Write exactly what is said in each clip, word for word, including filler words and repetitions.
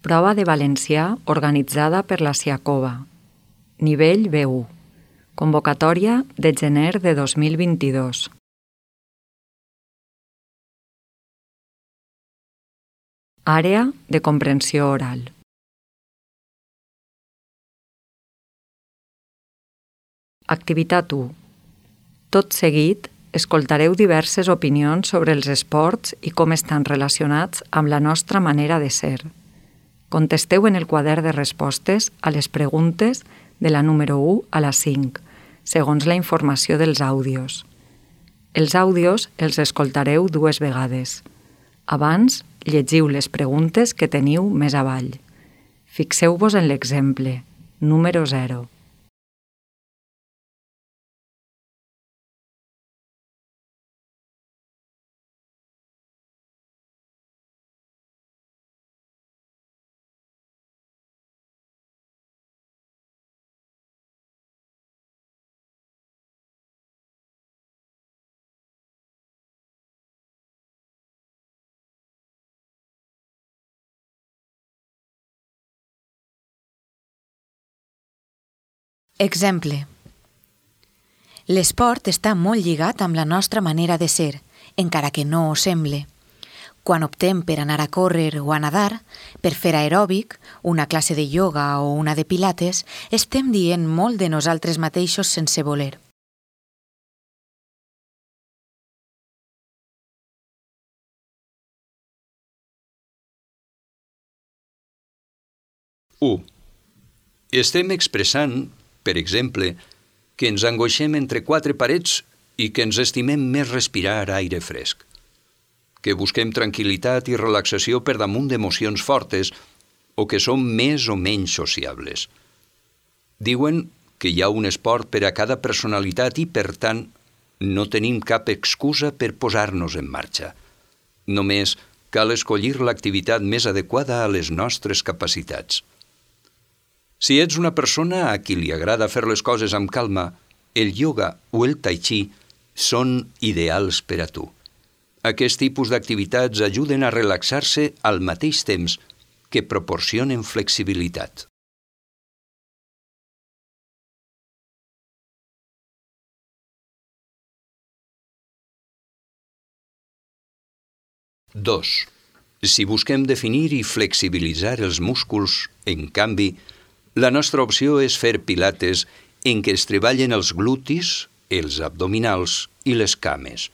Prova de valencià organitzada per la Siacova. Nivell B u. Convocatòria de gener de dos mil vint-i-dos. Àrea de comprensió oral. Activitat u. Tot seguit, escoltareu diverses opinions sobre els esports i com estan relacionats amb la nostra manera de ser. Contesteu en el quadern de respostes a les preguntes de la número u a la cinc, segons la informació dels àudios. Els àudios els escoltareu dues vegades. Abans, llegiu les preguntes que teniu més avall. Fixeu-vos en l'exemple, número zero. Exemple. L'esport està molt lligat amb la nostra manera de ser, encara que no ho semble. Quan optem per anar a córrer o a nadar, per fer aeròbic, una classe de ioga o una de pilates, estem dient molt de nosaltres mateixos sense voler. u. Estem expressant, per exemple, que ens angoixem entre quatre parets i que ens estimem més respirar aire fresc, que busquem tranquil·litat i relaxació per damunt d'emocions fortes o que som més o menys sociables. Diuen que hi ha un esport per a cada personalitat i, per tant, no tenim cap excusa per posar-nos en marxa. Només cal escollir l'activitat més adequada a les nostres capacitats. Si ets una persona a qui li agrada fer les coses amb calma, el ioga o el tai chi són ideals per a tu. Aquest tipus d'activitats ajuden a relaxar-se al mateix temps que proporcionen flexibilitat. dos. Si busquem definir i flexibilitzar els músculs, en canvi, la nostra opció és fer pilates en què es treballen els glutis, els abdominals i les cames.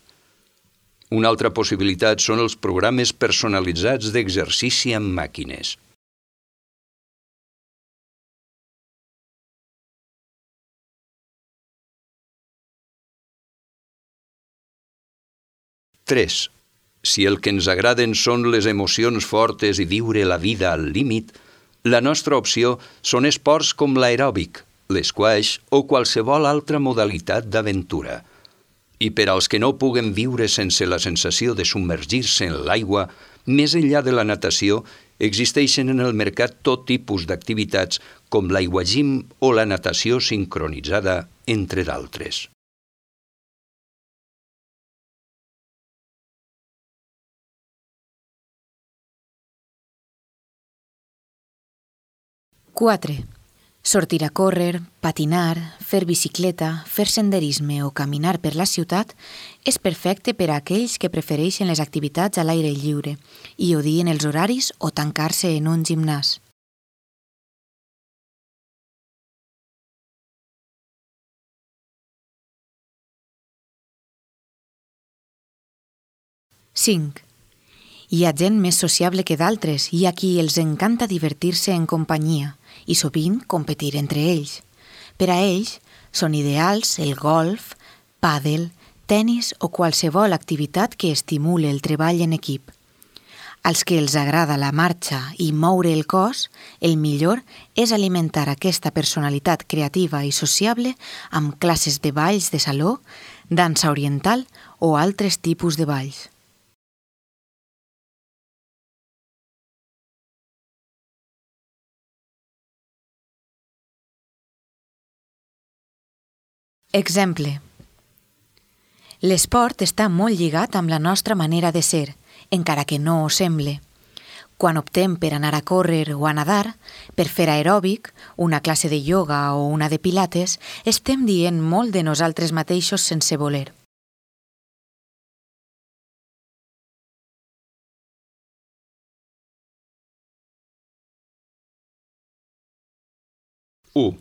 Una altra possibilitat són els programes personalitzats d'exercici amb màquines. tres. Si el que ens agraden són les emocions fortes i viure la vida al límit, la nostra opció són esports com l'aeròbic, l'esquaix o qualsevol altra modalitat d'aventura. I per als que no puguen viure sense la sensació de submergir-se en l'aigua, més enllà de la natació, existeixen en el mercat tot tipus d'activitats com l'aiguagim o la natació sincronitzada, entre d'altres. quatre. Sortir a córrer, patinar, fer bicicleta, fer senderisme o caminar per la ciutat és perfecte per a aquells que prefereixen les activitats a l'aire lliure i odien els horaris o tancar-se en un gimnàs. cinc. Hi ha gent més sociable que d'altres i a qui els encanta divertir-se en companyia i sovint competir entre ells. Per a ells són ideals el golf, pàdel, tenis o qualsevol activitat que estimule el treball en equip. Als que els agrada la marxa i moure el cos, el millor és alimentar aquesta personalitat creativa i sociable amb classes de balls de saló, dansa oriental o altres tipus de balls. Exemple. L'esport està molt lligat amb la nostra manera de ser, encara que no ho semble. Quan optem per anar a córrer o a nadar, per fer aeròbic, una classe de ioga o una de pilates, estem dient molt de nosaltres mateixos sense voler. u.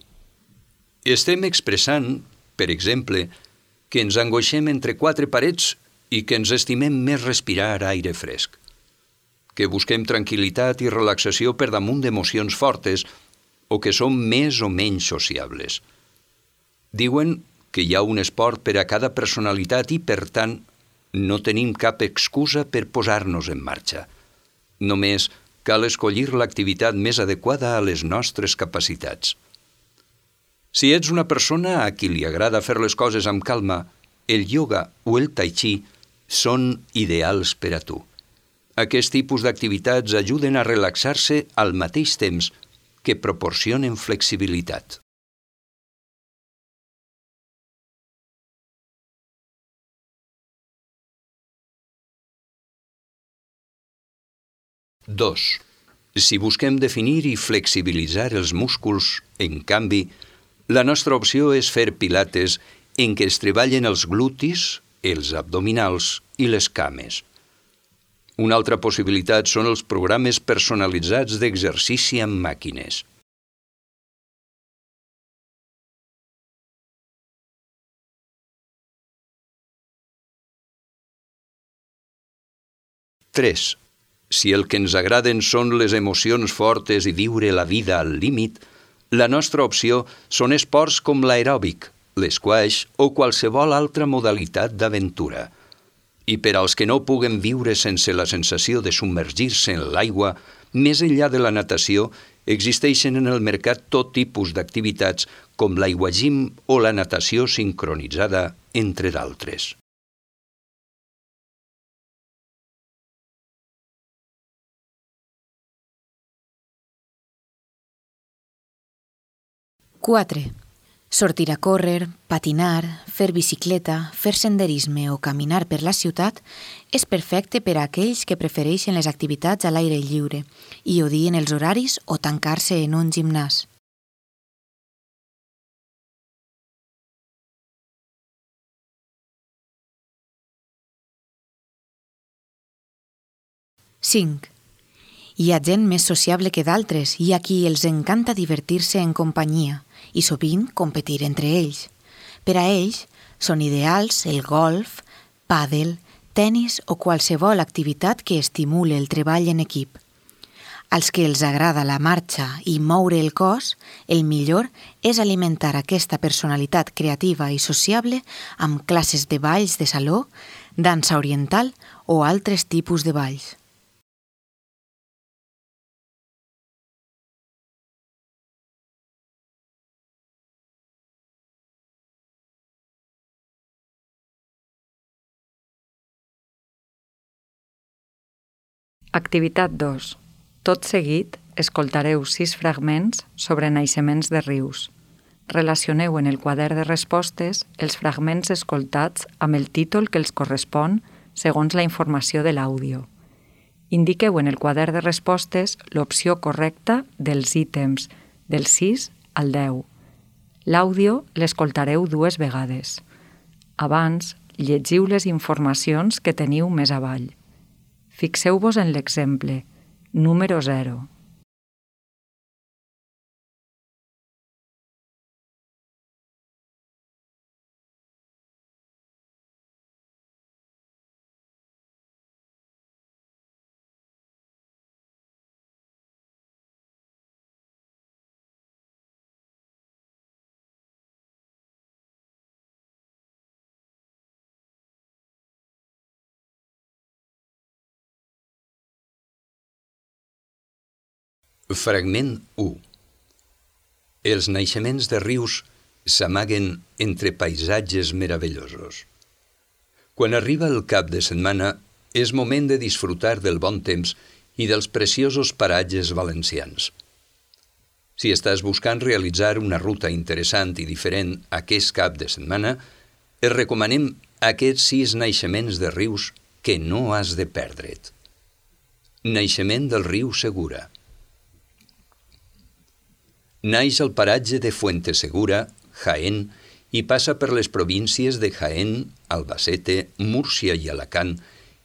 Estem expressant, per exemple, que ens angoixem entre quatre parets i que ens estimem més respirar aire fresc, que busquem tranquil·litat i relaxació per damunt d'emocions fortes o que som més o menys sociables. Diuen que hi ha un esport per a cada personalitat i, per tant, no tenim cap excusa per posar-nos en marxa. Només cal escollir l'activitat més adequada a les nostres capacitats. Si ets una persona a qui li agrada fer les coses amb calma, el ioga o el tai chi són ideals per a tu. Aquest tipus d'activitats ajuden a relaxar-se al mateix temps que proporcionen flexibilitat. dos. Si busquem definir i flexibilitzar els músculs, en canvi, la nostra opció és fer pilates en què es treballen els glutis, els abdominals i les cames. Una altra possibilitat són els programes personalitzats d'exercici amb màquines. tres. Si el que ens agraden són les emocions fortes i viure la vida al límit, la nostra opció són esports com l'aeròbic, l'esquaix o qualsevol altra modalitat d'aventura. I per als que no puguen viure sense la sensació de submergir-se en l'aigua, més enllà de la natació, existeixen en el mercat tot tipus d'activitats com l'aiguagim o la natació sincronitzada, entre d'altres. quatre. Sortir a córrer, patinar, fer bicicleta, fer senderisme o caminar per la ciutat és perfecte per a aquells que prefereixen les activitats a l'aire lliure i odien els horaris o tancar-se en un gimnàs. cinc. Hi ha gent més sociable que d'altres i a qui els encanta divertir-se en companyia i sovint competir entre ells. Per a ells són ideals el golf, pàdel, tenis o qualsevol activitat que estimule el treball en equip. Als que els agrada la marxa i moure el cos, el millor és alimentar aquesta personalitat creativa i sociable amb classes de balls de saló, dansa oriental o altres tipus de balls. Activitat dos. Tot seguit, escoltareu sis fragments sobre naixements de rius. Relacioneu en el quadern de respostes els fragments escoltats amb el títol que els correspon segons la informació de l'àudio. Indiqueu en el quadern de respostes l'opció correcta dels ítems del sis al deu. L'àudio l'escoltareu dues vegades. Abans, llegiu les informacions que teniu més avall. Fixeu-vos en l'exemple, número zero. Fragment u. Els naixements de rius s'amaguen entre paisatges meravellosos. Quan arriba el cap de setmana, és moment de disfrutar del bon temps i dels preciosos paratges valencians. Si estàs buscant realitzar una ruta interessant i diferent aquest cap de setmana, et recomanem aquests sis naixements de rius que no has de perdre't. Naixement del riu Segura. Naix al paratge de Fuentesegura, Jaén, i passa per les províncies de Jaén, Albacete, Múrcia i Alacant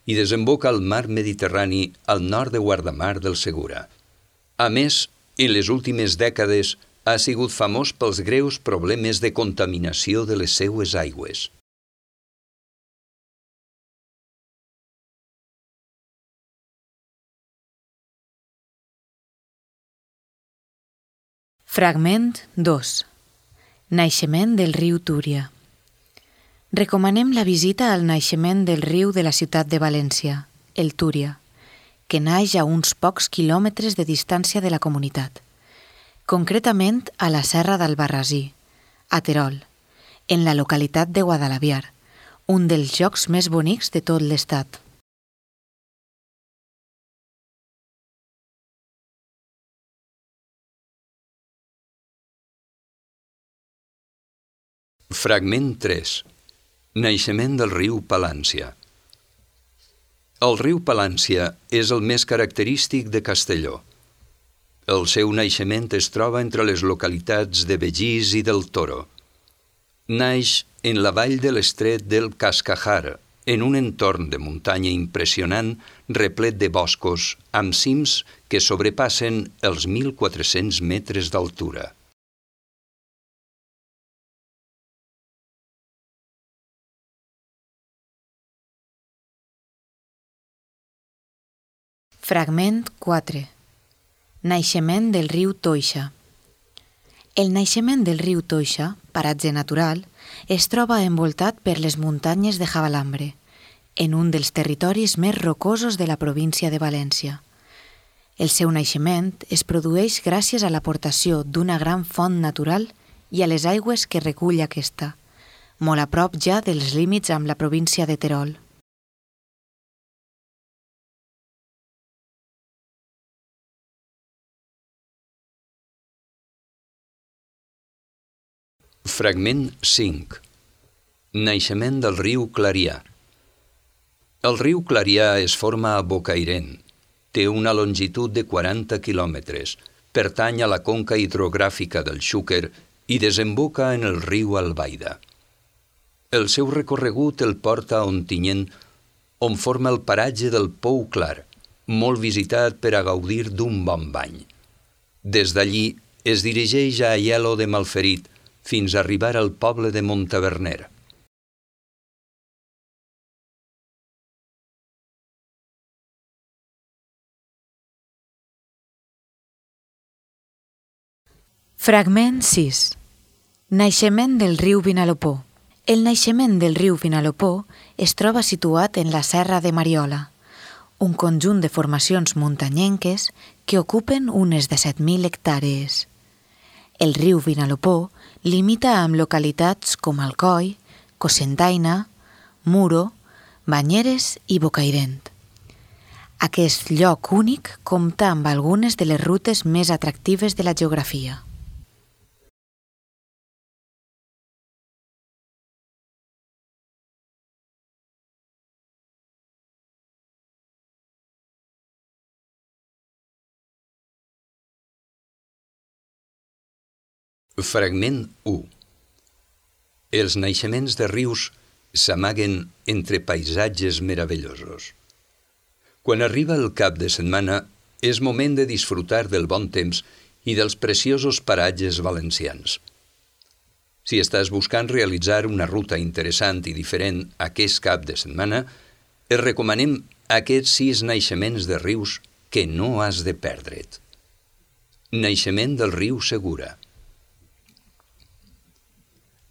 i desemboca al mar Mediterrani al nord de Guardamar del Segura. A més, en les últimes dècades ha sigut famós pels greus problemes de contaminació de les seues aigües. Fragment dos. Naixement del riu Túria. Recomanem la visita al naixement del riu de la ciutat de València, el Túria, que naix a uns pocs quilòmetres de distància de la comunitat, concretament a la Serra d'Albarrasí, a Terol, en la localitat de Guadalaviar, un dels llocs més bonics de tot l'estat. Fragment tres. Naixement del riu Palància. El riu Palància és el més característic de Castelló. El seu naixement es troba entre les localitats de Begís i del Toro. Naix en la vall de l'estret del Cascajar, en un entorn de muntanya impressionant replet de boscos amb cims que sobrepassen els mil quatre-cents metres d'altura. Fragment quatre. Naixement del riu Toixa. El naixement del riu Toixa, paratge natural, es troba envoltat per les muntanyes de Javalambre, en un dels territoris més rocosos de la província de València. El seu naixement es produeix gràcies a l'aportació d'una gran font natural i a les aigües que recull aquesta, molt a prop ja dels límits amb la província de Terol. Fragment cinc. Naixement del riu Clarià. El riu Clarià es forma a Bocairent. Té una longitud de quaranta quilòmetres, pertany a la conca hidrogràfica del Xúquer i desemboca en el riu Albaida. El seu recorregut el porta a Ontinyent, on forma el paratge del Pou Clar, molt visitat per a gaudir d'un bon bany. Des d'allí es dirigeix a Aielo de Malferit, fins a arribar al poble de Montaverner. Fragment sis. Naixement del riu Vinalopó. El naixement del riu Vinalopó es troba situat en la Serra de Mariola, un conjunt de formacions muntanyenques que ocupen unes disset mil hectàrees. El riu Vinalopó limita amb localitats com Alcoi, Cocentaina, Muro, Banyeres i Bocairent. Aquest lloc únic compta amb algunes de les rutes més atractives de la geografia. Fragment u. Els naixements de rius s'amaguen entre paisatges meravellosos. Quan arriba el cap de setmana, és moment de disfrutar del bon temps i dels preciosos paratges valencians. Si estàs buscant realitzar una ruta interessant i diferent aquest cap de setmana, et recomanem aquests sis naixements de rius que no has de perdre't. Naixement del riu Segura.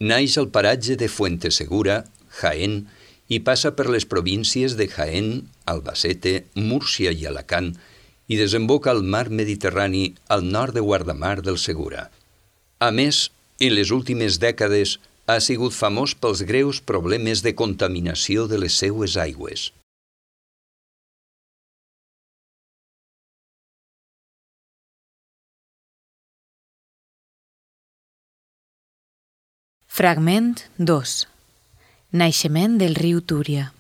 Naix al paratge de Fuentesegura, Jaén, i passa per les províncies de Jaén, Albacete, Múrcia i Alacant i desemboca al mar Mediterrani al nord de Guardamar del Segura. A més, en les últimes dècades ha sigut famós pels greus problemes de contaminació de les seues aigües. Fragment dos. Naixement del riu Túria.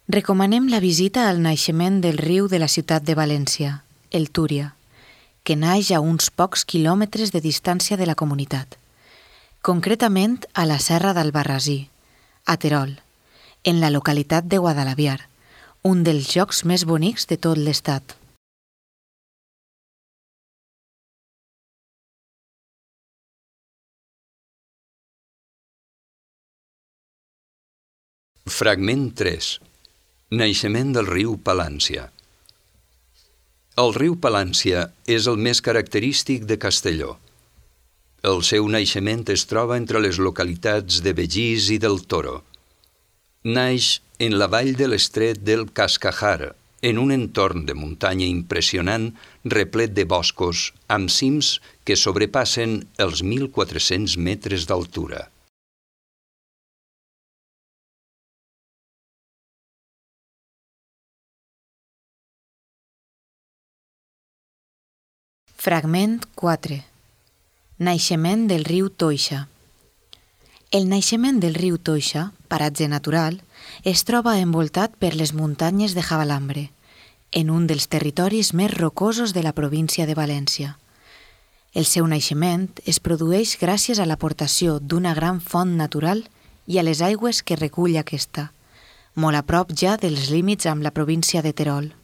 Recomanem la visita al naixement del riu de la ciutat de València, el Túria, que naix a uns pocs quilòmetres de distància de la comunitat, concretament a la Serra d'Albarrasí, a Terol, en la localitat de Guadalaviar, un dels llocs més bonics de tot l'estat. Fragment tres. Naixement del riu Palància. El riu Palància és el més característic de Castelló. El seu naixement es troba entre les localitats de Begís i del Toro. Naix en la vall de l'estret del Cascajar, en un entorn de muntanya impressionant replet de boscos amb cims que sobrepassen els mil quatre-cents metres d'altura. Fragment quatre. Naixement del riu Toixa. El naixement del riu Toixa, paratge natural, es troba envoltat per les muntanyes de Javalambre, en un dels territoris més rocosos de la província de València. El seu naixement es produeix gràcies a l'aportació d'una gran font natural i a les aigües que recull aquesta, molt a prop ja dels límits amb la província de Terol.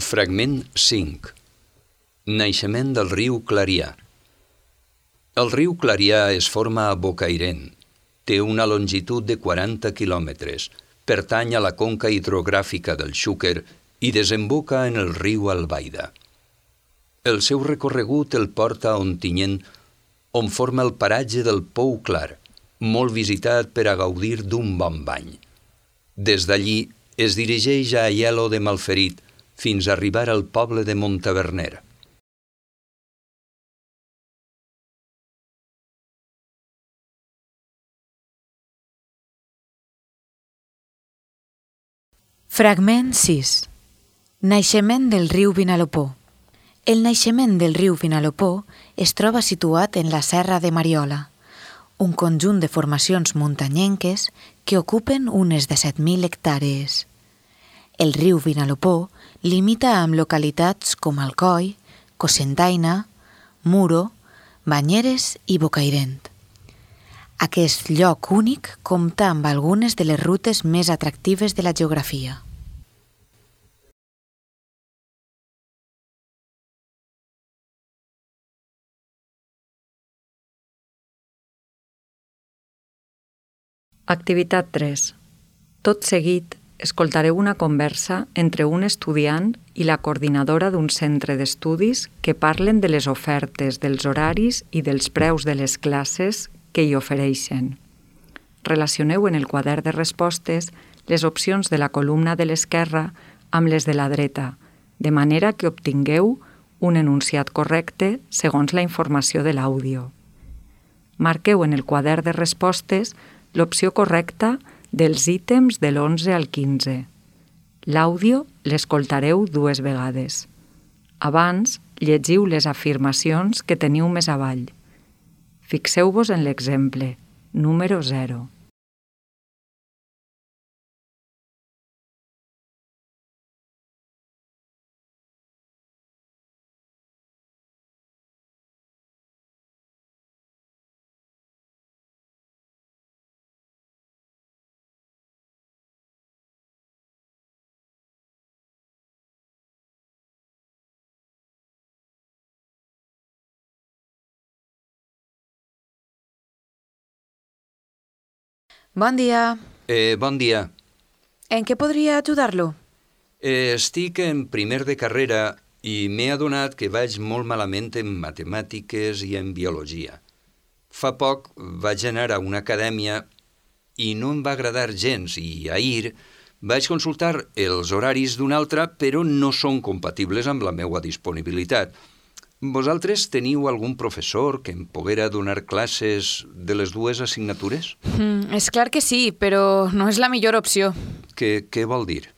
Fragment cinc. Naixement del riu Clarià. El riu Clarià es forma a Bocairent. Té una longitud de quaranta quilòmetres, pertany a la conca hidrogràfica del Xúquer i desemboca en el riu Albaida. El seu recorregut el porta a Ontinyent, on forma el paratge del Pou Clar, molt visitat per a gaudir d'un bon bany. Des d'allí es dirigeix a Aielo de Malferit, fins a arribar al poble de Montaverner. Fragment sis. Naixement del riu Vinalopó. El naixement del riu Vinalopó es troba situat en la Serra de Mariola, un conjunt de formacions muntanyenques que ocupen unes disset mil hectàrees. El riu Vinalopó limita amb localitats com Alcoi, Cocentaina, Muro, Banyeres i Bocairent. Aquest lloc únic compta amb algunes de les rutes més atractives de la geografia. Activitat tres. Tot seguit, escoltareu una conversa entre un estudiant i la coordinadora d'un centre d'estudis que parlen de les ofertes, dels horaris i dels preus de les classes que hi ofereixen. Relacioneu en el quadern de respostes les opcions de la columna de l'esquerra amb les de la dreta, de manera que obtingueu un enunciat correcte segons la informació de l'àudio. Marqueu en el quadern de respostes l'opció correcta dels ítems de l'onze al quinze. L'àudio l'escoltareu dues vegades. Abans, llegiu les afirmacions que teniu més avall. Fixeu-vos en l'exemple, número zero. Bon dia. Eh, bon dia. En què podria ajudar-lo? Eh, estic en primer de carrera i m'he adonat que vaig molt malament en matemàtiques i en biologia. Fa poc vaig anar a una acadèmia i no em va agradar gens i ahir vaig consultar els horaris d'una altra, però no són compatibles amb la meva disponibilitat. Vosaltres teniu algun professor que em poguera donar classes de les dues assignatures? Mm, és clar que sí, però no és la millor opció. Què, què vol dir?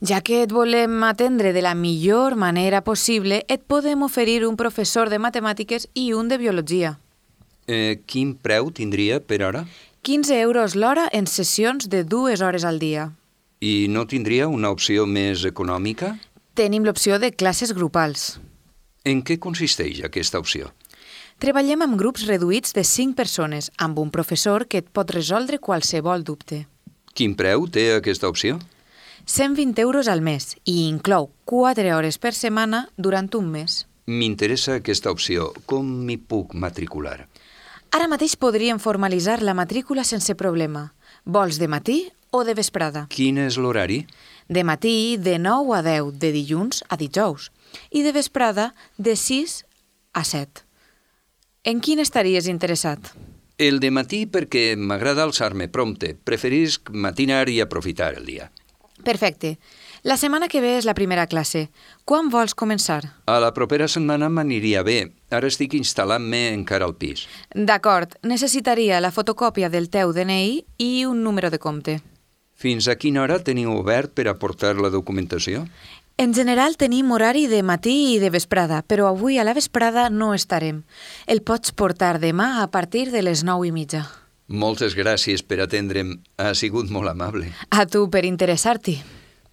Ja que et volem atendre de la millor manera possible, et podem oferir un professor de matemàtiques i un de biologia. Eh, quin preu tindria per hora? quinze euros l'hora en sessions de dues hores al dia. I no tindria una opció més econòmica? Tenim l'opció de classes grupals. En què consisteix aquesta opció? Treballem amb grups reduïts de cinc persones, amb un professor que et pot resoldre qualsevol dubte. Quin preu té aquesta opció? cent vint euros al mes i inclou quatre hores per setmana durant un mes. M'interessa aquesta opció. Com m'hi puc matricular? Ara mateix podríem formalitzar la matrícula sense problema. Vols de matí o de vesprada? Quin és l'horari? De matí de nou a deu, de dilluns a dijous, i de vesprada de sis a set. En quin estaries interessat? El de matí perquè m'agrada alçar-me prompte. Preferisc matinar i aprofitar el dia. Perfecte. La setmana que ve és la primera classe. Quan vols començar? A la propera setmana m'aniria bé. Ara estic instal·lant-me encara al pis. D'acord. Necessitaria la fotocòpia del teu D N I i un número de compte. Fins a quina hora teniu obert per aportar la documentació? En general tenim horari de matí i de vesprada, però avui a la vesprada no estarem. El pots portar demà a partir de les nou i mitja. Moltes gràcies per atendre'm. Ha sigut molt amable. A tu per interessar-t'hi.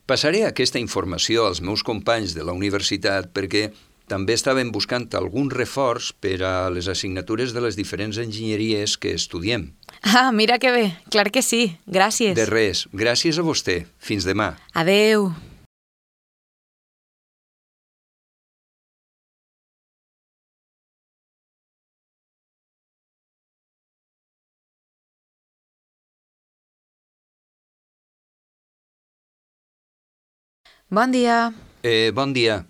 Passaré aquesta informació als meus companys de la universitat perquè també estaven buscant algun reforç per a les assignatures de les diferents enginyeries que estudiem. Ah, mira que bé. Clar que sí. Gràcies. De res. Gràcies a vostè. Fins demà. Adeu. Bon dia. Eh, bon dia.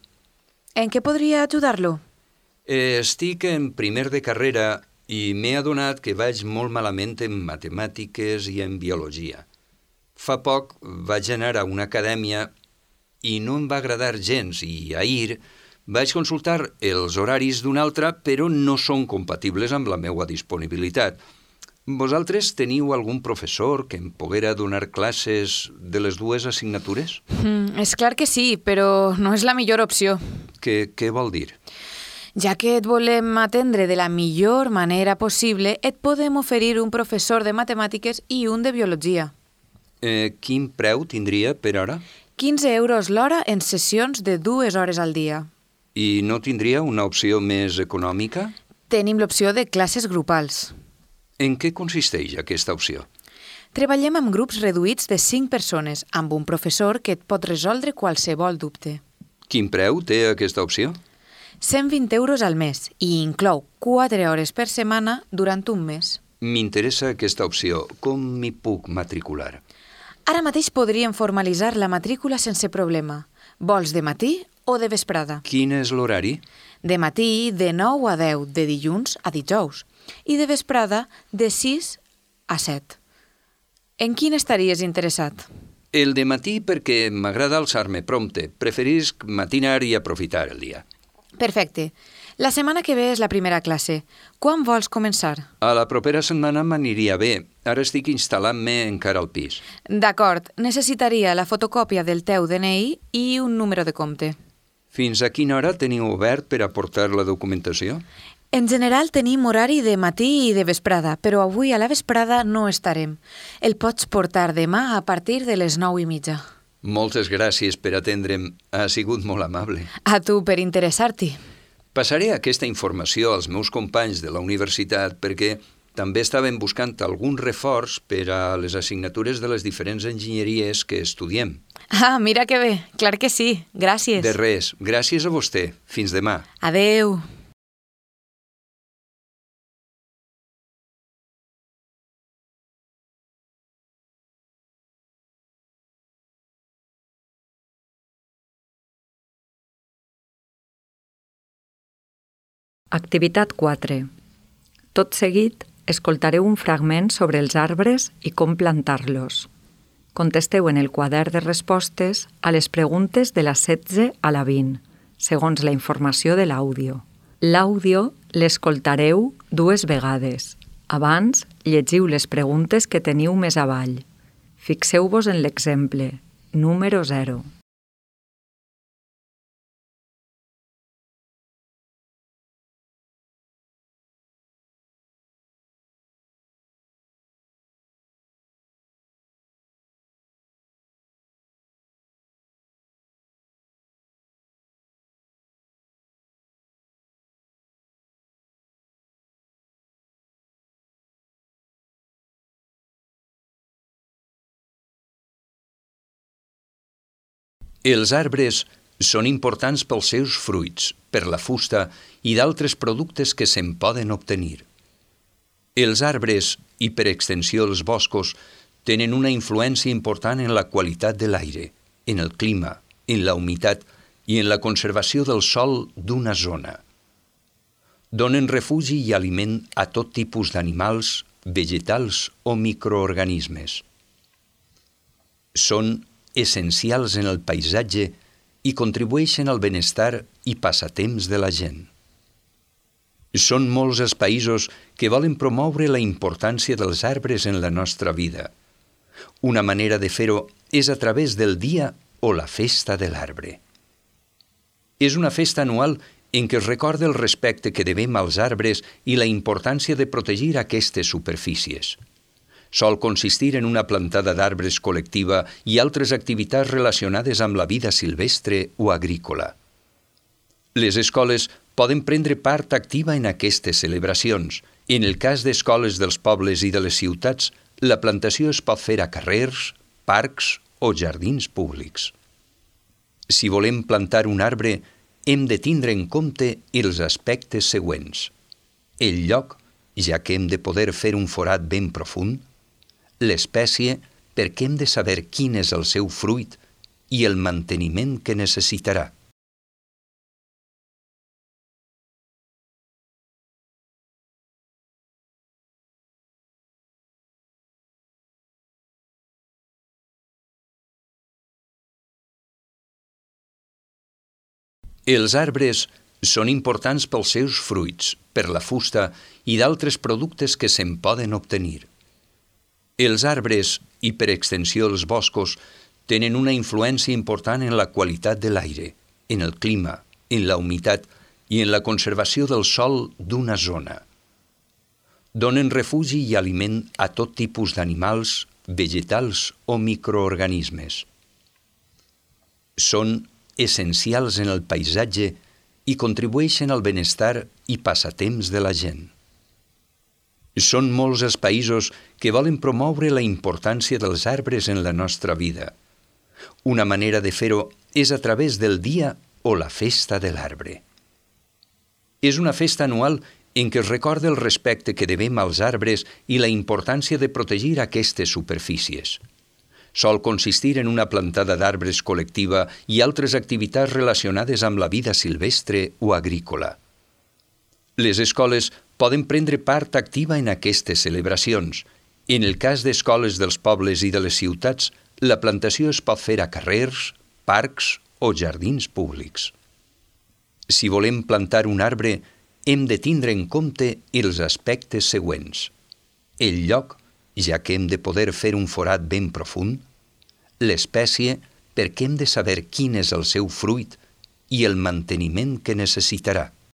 En què podria ajudar-lo? Eh, estic en primer de carrera i m'he adonat que vaig molt malament en matemàtiques i en biologia. Fa poc vaig anar a una acadèmia i no em va agradar gens i ahir vaig consultar els horaris d'una altra, però no són compatibles amb la meva disponibilitat. Vosaltres teniu algun professor que em poguera donar classes de les dues assignatures? Mm, és clar que sí, però no és la millor opció. Què, què vol dir? Ja que et volem atendre de la millor manera possible, et podem oferir un professor de matemàtiques i un de biologia. Eh, quin preu tindria per hora? quinze euros l'hora en sessions de dues hores al dia. I no tindria una opció més econòmica? Tenim l'opció de classes grupals. En què consisteix aquesta opció? Treballem amb grups reduïts de cinc persones, amb un professor que et pot resoldre qualsevol dubte. Quin preu té aquesta opció? cent vint euros al mes i inclou quatre hores per setmana durant un mes. M'interessa aquesta opció. Com m'hi puc matricular? Ara mateix podríem formalitzar la matrícula sense problema. Vols de matí o de vesprada? Quin és l'horari? De matí de nou a deu, de dilluns a dijous, i de vesprada de sis a set. En quin estaries interessat? El de matí perquè m'agrada alçar-me prompte. Preferisc matinar i aprofitar el dia. Perfecte. La setmana que ve és la primera classe. Quan vols començar? A la propera setmana m'aniria bé. Ara estic instal·lant-me encara al pis. D'acord. Necessitaria la fotocòpia del teu D N I i un número de compte. Fins a quina hora teniu obert per aportar la documentació? En general tenim horari de matí i de vesprada, però avui a la vesprada no estarem. El pots portar demà a partir de les nou i mitja. Moltes gràcies per atendre'm. Ha sigut molt amable. A tu per interessar-t'hi. Passaré aquesta informació als meus companys de la universitat perquè també estaven buscant algun reforç per a les assignatures de les diferents enginyeries que estudiem. Ah, mira que bé. Clar que sí. Gràcies. De res. Gràcies a vostè. Fins demà. Adeu. Activitat quatre. Tot seguit, escoltareu un fragment sobre els arbres i com plantar-los. Contesteu en el quadern de respostes a les preguntes de la setze a la vint, segons la informació de l'àudio. L'àudio l'escoltareu dues vegades. Abans, llegiu les preguntes que teniu més avall. Fixeu-vos en l'exemple, número zero. Els arbres són importants pels seus fruits, per la fusta i d'altres productes que se'n poden obtenir. Els arbres, i per extensió els boscos, tenen una influència important en la qualitat de l'aire, en el clima, en la humitat i en la conservació del sòl d'una zona. Donen refugi i aliment a tot tipus d'animals, vegetals o microorganismes. Són essencials en el paisatge i contribueixen al benestar i passatemps de la gent. Són molts els països que volen promoure la importància dels arbres en la nostra vida. Una manera de fer-ho és a través del dia o la festa de l'arbre. És una festa anual en què es recorda el respecte que devem als arbres i la importància de protegir aquestes superfícies. Sol consistir en una plantada d'arbres col·lectiva i altres activitats relacionades amb la vida silvestre o agrícola. Les escoles poden prendre part activa en aquestes celebracions. En el cas d'escoles dels pobles i de les ciutats, la plantació es pot fer a carrers, parcs o jardins públics. Si volem plantar un arbre, hem de tindre en compte els aspectes següents. El lloc, ja que hem de poder fer un forat ben profund, l'espècie, perquè hem de saber quin és el seu fruit, i el manteniment que necessitarà. Els arbres són importants pels seus fruits, per la fusta i d'altres productes que se'n poden obtenir. Els arbres, i per extensió els boscos, tenen una influència important en la qualitat de l'aire, en el clima, en la humitat i en la conservació del sòl d'una zona. Donen refugi i aliment a tot tipus d'animals, vegetals o microorganismes. Són essencials en el paisatge i contribueixen al benestar i passatemps de la gent. Són molts els països que volen promoure la importància dels arbres en la nostra vida. Una manera de fer-ho és a través del dia o la festa de l'arbre. És una festa anual en què es recorda el respecte que devem als arbres i la importància de protegir aquestes superfícies. Sol consistir en una plantada d'arbres col·lectiva i altres activitats relacionades amb la vida silvestre o agrícola. Les escoles poden prendre part activa en aquestes celebracions. En el cas d'escoles dels pobles i de les ciutats, la plantació es pot fer a carrers, parcs o jardins públics. Si volem plantar un arbre, hem de tindre en compte els aspectes següents. El lloc, ja que hem de poder fer un forat ben profund, l'espècie, perquè hem de saber quin és el seu fruit, i el manteniment que necessitarà.